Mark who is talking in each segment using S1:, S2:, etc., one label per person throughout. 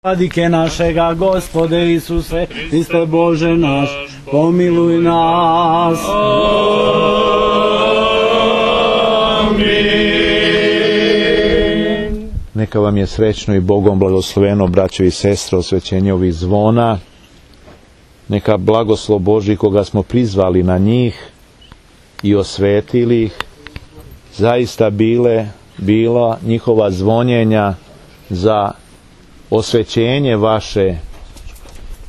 S1: Vladike našega, Gospode Isuse, Hriste Bože naš, pomiluj nas.
S2: Amin. Neka vam je srećno i Bogom blagosloveno, braćo i sestre, osvećenje ovih zvona. Neka blagoslov Božji koga smo prizvali na njih i osvetili ih, zaista bila njihova zvonjenja za osvećenje vaše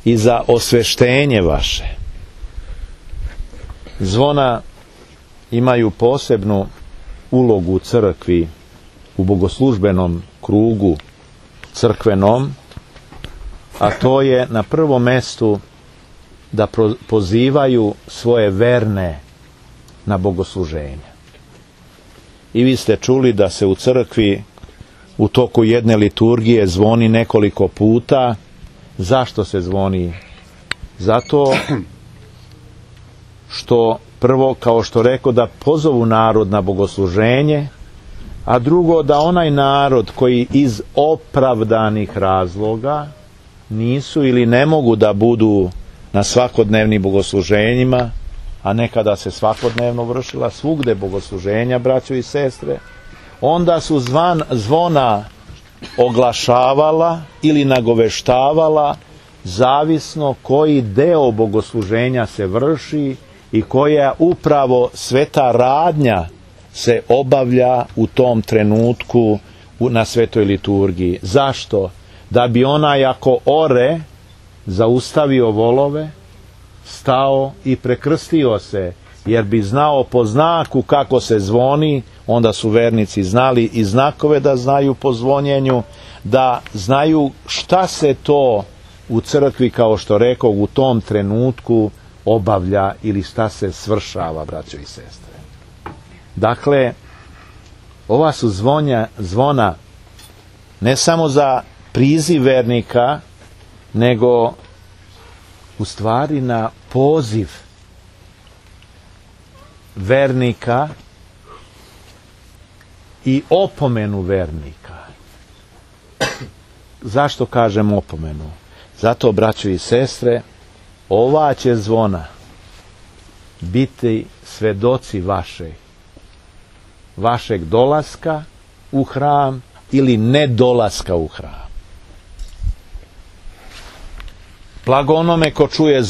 S2: i za osveštenje vaše. Zvona imaju posebnu ulogu u crkvi, u bogoslužbenom krugu crkvenom, a to je na prvom mestu da pozivaju svoje verne na bogosluženje. I vi ste čuli da se u crkvi u toku jedne liturgije zvoni nekoliko puta. Zašto se zvoni? Zato što prvo, kao što rekao, da pozovu narod na bogosluženje, a drugo da onaj narod koji iz opravdanih razloga nisu ili ne mogu da budu na svakodnevnim bogosluženjima, a nekada se svakodnevno vršila svugde bogosluženja, braćo i sestre, onda su zvona oglašavala ili nagoveštavala zavisno koji deo bogosluženja se vrši i koja upravo sveta radnja se obavlja u tom trenutku na svetoj liturgiji. Zašto? Da bi onaj ako ore zaustavio volove, stao i prekrstio se, jer bi znao po znaku kako se zvoni. Onda su vernici znali i znakove da znaju po zvonjenju, da znaju šta se to u crkvi, kao što rekao, u tom trenutku obavlja ili šta se svršava, braćo i sestre. Dakle, ova su zvona ne samo za priziv vernika, nego u stvari na poziv vernika i opomenu vernika. Zašto kažem opomenu? Zato, braćo i sestre, ova će zvona biti svedoci vašeg dolaska u hram ili nedolaska u hram. Blago onome ko čuje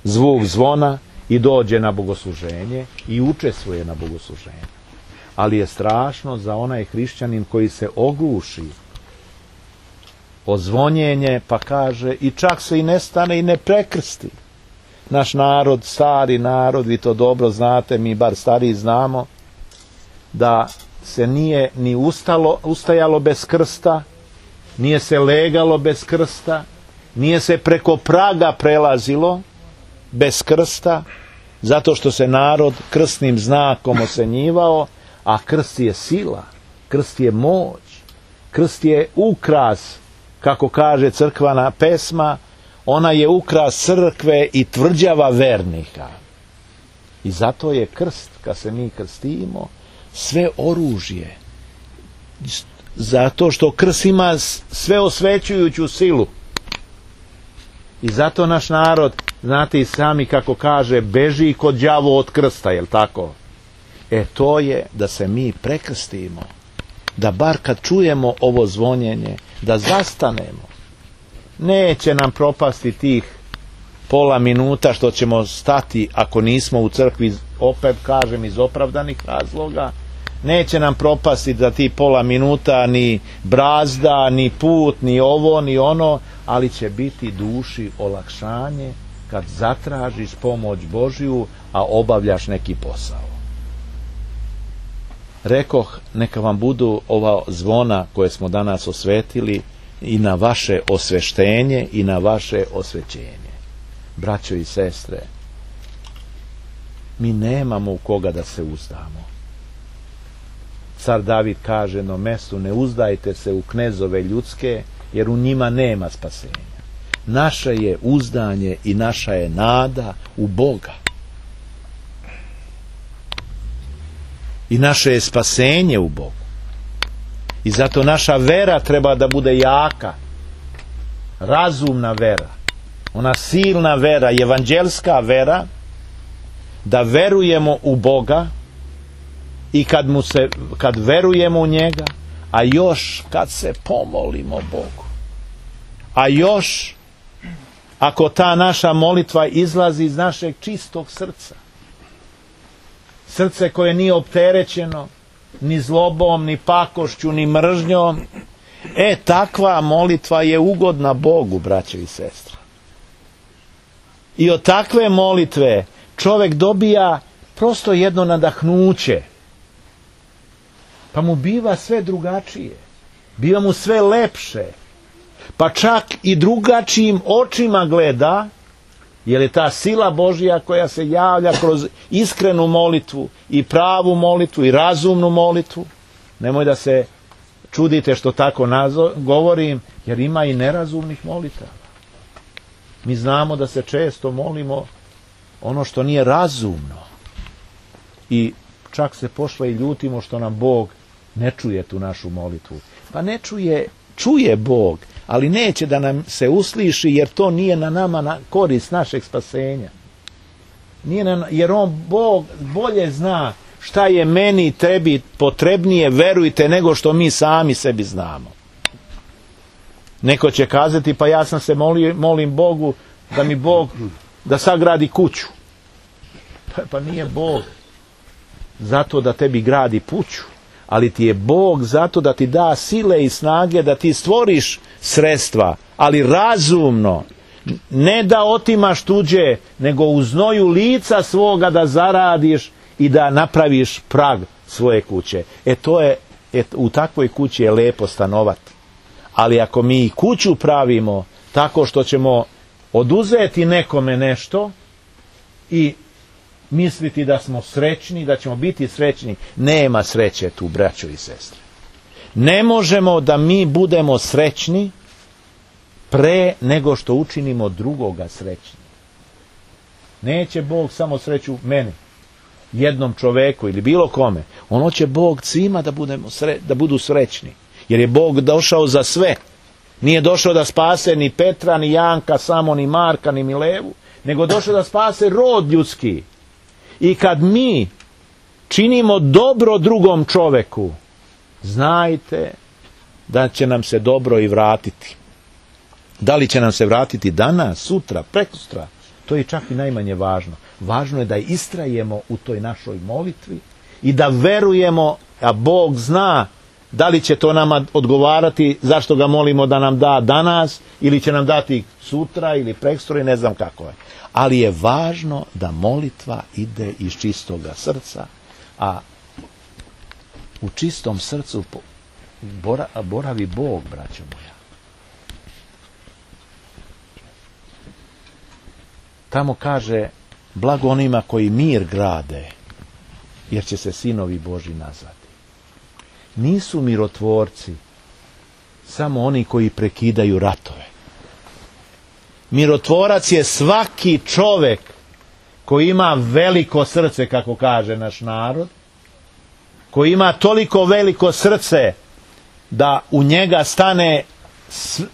S2: zvuk zvona i dođe na bogosluženje i učestvuje na bogosluženju. Ali je strašno za onaj hrišćanin koji se ogluši o zvonjenje, pa kaže, i čak se i ne stane i ne prekrsti. Naš narod, stari narod, vi to dobro znate, mi bar stariji znamo, da se nije ni ustajalo bez krsta, nije se legalo bez krsta, nije se preko praga prelazilo bez krsta, zato što se narod krstnim znakom osenjivao, a krst je sila, krst je moć, krst je ukras, kako kaže crkvena pesma, ona je ukras crkve i tvrđava vernika. I zato je krst, kad se mi krstimo, sve oružje. Zato što krst ima sve osvećujuću silu. I zato naš narod, znate i sami kako kaže, beži kod đavo od krsta, jel tako? To je da se mi prekrstimo, da bar kad čujemo ovo zvonjenje, da zastanemo. Neće nam propasti tih pola minuta što ćemo stati ako nismo u crkvi, opet kažem, iz opravdanih razloga. Neće nam propasti za ti pola minuta ni brazda, ni put, ni ovo, ni ono, ali će biti duši olakšanje kad zatražiš pomoć Božju, a obavljaš neki posao. Rekoh, neka vam budu ova zvona koje smo danas osvetili i na vaše osveštenje i na vaše osvećenje. Braćo i sestre, mi nemamo u koga da se uzdamo. Car David kaže na mestu, ne uzdajte se u knezove ljudske, jer u njima nema spasenja. Naše je uzdanje i naša je nada u Boga. I naše je spasenje u Bogu. I zato naša vera treba da bude jaka. razumna vera, ona silna vera, evanđelska vera, da verujemo u Boga i kad verujemo u njega, a još kad se pomolimo Bogu, a još ako ta naša molitva izlazi iz našeg čistog srca, srce koje nije opterećeno ni zlobom, ni pakošću, ni mržnjom, takva molitva je ugodna Bogu, braćo i sestre. I od takve molitve čovjek dobija prosto jedno nadahnuće, pa mu biva sve drugačije, biva mu sve lepše, pa čak i drugačijim očima gleda, jer je ta sila Božja koja se javlja kroz iskrenu molitvu i pravu molitvu i razumnu molitvu. Nemoj da se čudite što tako govorim, jer ima i nerazumnih molitava. Mi znamo da se često molimo ono što nije razumno i čak se pošle i ljutimo što nam Bog ne čuje tu našu molitvu. Pa ne čuje Bog, ali neće da nam se usliši, jer to nije na nama na korist našeg spasenja. Jer Bog bolje zna šta je meni i tebi potrebnije, verujte, nego što mi sami sebi znamo. Neko će kazati, pa ja sam se molim Bogu da mi Bog da sagradi kuću. Pa nije Bog zato da tebi gradi kuću, ali ti je Bog zato da ti da sile i snage da ti stvoriš sredstva, ali razumno, ne da otimaš tuđe, nego u znoju lica svoga da zaradiš i da napraviš prag svoje kuće. U takvoj kući je lepo stanovati. Ali ako mi kuću pravimo tako što ćemo oduzeti nekome nešto i misliti da smo srećni, da ćemo biti srećni, nema sreće tu, braćo i sestre. Ne možemo da mi budemo srećni pre nego što učinimo drugoga srećni. Neće Bog samo sreću meni, jednom čoveku ili bilo kome. Ono će Bog svima da budu srećni. Jer je Bog došao za sve. Nije došao da spase ni Petra, ni Janka, samo ni Marka, ni Milevu, nego došao da spase rod ljudski. I kad mi činimo dobro drugom čoveku, znajte da će nam se dobro i vratiti. Da li će nam se vratiti danas, sutra, prekosutra, to je čak i najmanje važno. Važno je da istrajemo u toj našoj molitvi i da verujemo, a Bog zna da li će to nama odgovarati, zašto ga molimo da nam da danas, ili će nam dati sutra ili prekosutra, ne znam kako je. Ali je važno da molitva ide iz čistoga srca, a u čistom srcu boravi Bog, braćo moja. Tamo kaže, blago onima koji mir grade, jer će se sinovi Božji nazvati. Nisu mirotvorci samo oni koji prekidaju ratove. Mirotvorac je svaki čovek koji ima veliko srce, kako kaže naš narod, koji ima toliko veliko srce da u njega stane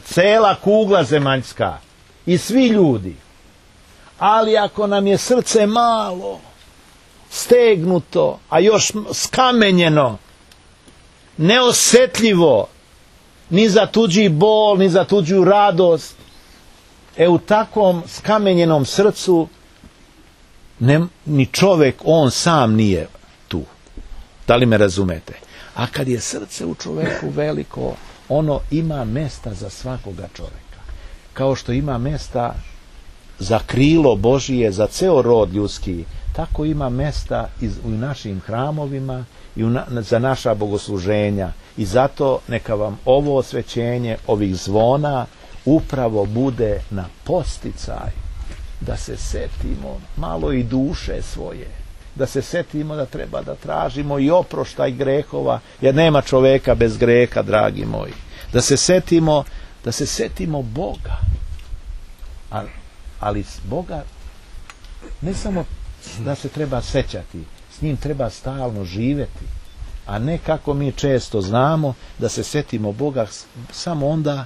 S2: cela kugla zemaljska i svi ljudi. Ali ako nam je srce malo, stegnuto, a još skamenjeno, neosjetljivo ni za tuđi bol, ni za tuđu radost, u takvom skamenjenom srcu ni čovjek on sam nije tu. Da li me razumete? A kad je srce u čovjeku veliko, ono ima mesta za svakoga čovjeka. Kao što ima mesta za krilo Božije, za ceo rod ljudski, tako ima mesta u našim hramovima i za naša bogosluženja. I zato neka vam ovo osvećenje ovih zvona upravo bude na posticaj da se setimo malo i duše svoje, da se setimo da treba da tražimo i oproštaj grehova, jer nema čoveka bez greha, dragi moji. Da se setimo Boga, ali Boga ne samo da se treba sećati, s njim treba stalno živjeti, a ne kako mi često znamo da se setimo Boga samo onda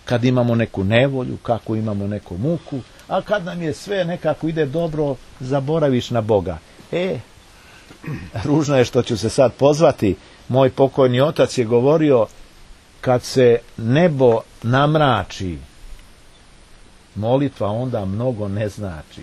S2: kad imamo neku nevolju, kako imamo neku muku, a kad nam je sve nekako ide dobro, zaboraviš na Boga. Ružno je što ću se sad pozvati, moj pokojni otac je govorio, kad se nebo namrači, molitva onda mnogo ne znači.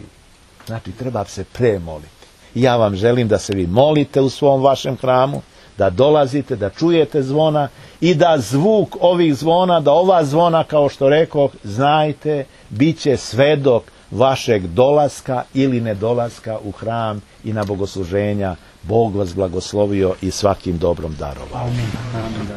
S2: Znači, treba se premoliti. Ja vam želim da se vi molite u svom vašem hramu, da dolazite, da čujete zvona i da zvuk ovih zvona, da ova zvona, kao što rekoh, znajte, bit će svedok vašeg dolaska ili nedolaska u hram i na bogosluženja. Bog vas blagoslovio i svakim dobrom darovao.
S1: Amin.